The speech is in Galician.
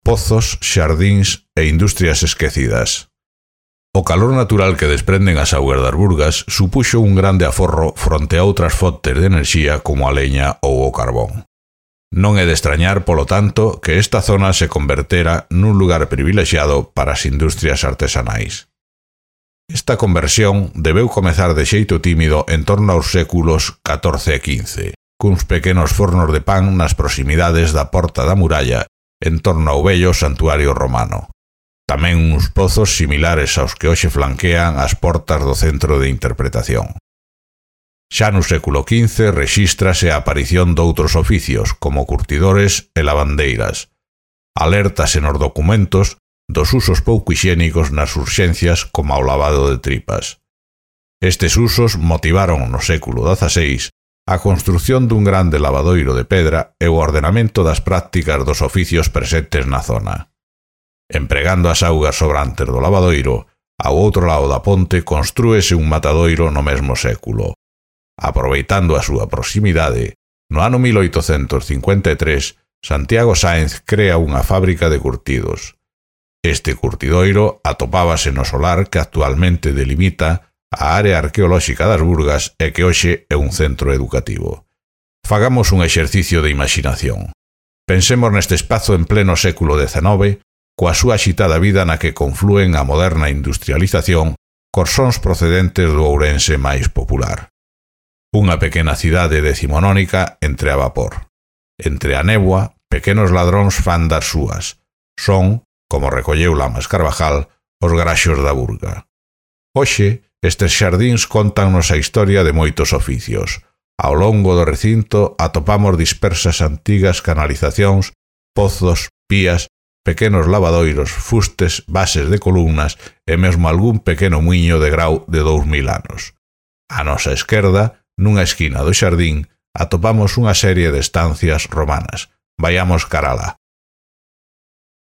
pozos, xardíns e industrias esquecidas. O calor natural que desprenden as augas das Burgas supuxo un grande aforro fronte a outras fontes de enerxía como a leña ou o carbón. Non é de extrañar, polo tanto, que esta zona se convertera nun lugar privilexiado para as industrias artesanais. Esta conversión debeu comezar de xeito tímido en torno aos séculos XIV e XV, cuns pequenos fornos de pan nas proximidades da Porta da Muralla en torno ao vello santuario romano. Tamén uns pozos similares aos que hoxe flanquean as portas do centro de interpretación. Xa no século XV rexístrase a aparición doutros oficios, como curtidores e lavandeiras. Alértase nos documentos dos usos pouco hixiénicos nas urxencias como ao lavado de tripas. Estes usos motivaron no século XVI a construción dun grande lavadoiro de pedra e o ordenamento das prácticas dos oficios presentes na zona. Empregando as augas sobrantes do lavadoiro, ao outro lado da ponte constrúese un matadoiro no mesmo século. Aproveitando a súa proximidade, no ano 1853, Santiago Sáenz crea unha fábrica de curtidos. Este curtidoiro atopábase no solar que actualmente delimita a área arqueolóxica das Burgas e que hoxe é un centro educativo. Fagamos un exercicio de imaginación. Pensemos neste espazo en pleno século XIX, coa súa axitada vida na que conflúen a moderna industrialización cos sons procedentes do Ourense máis popular. Unha pequena cidade decimonónica entre a vapor. Entre a néboa, pequenos ladróns fan das súas. Son, como recolleu Lamas Carvajal, os graxos da Burga. Hoxe, estes xardíns contannos a historia de moitos oficios. Ao longo do recinto atopamos dispersas antigas canalizacións, pozos, pías, pequenos lavadoiros, fustes, bases de columnas e mesmo algún pequeno muiño de grau de 2000 anos. A nosa esquerda, nunha esquina do xardín, atopamos unha serie de estancias romanas. Vaiamos cara alá.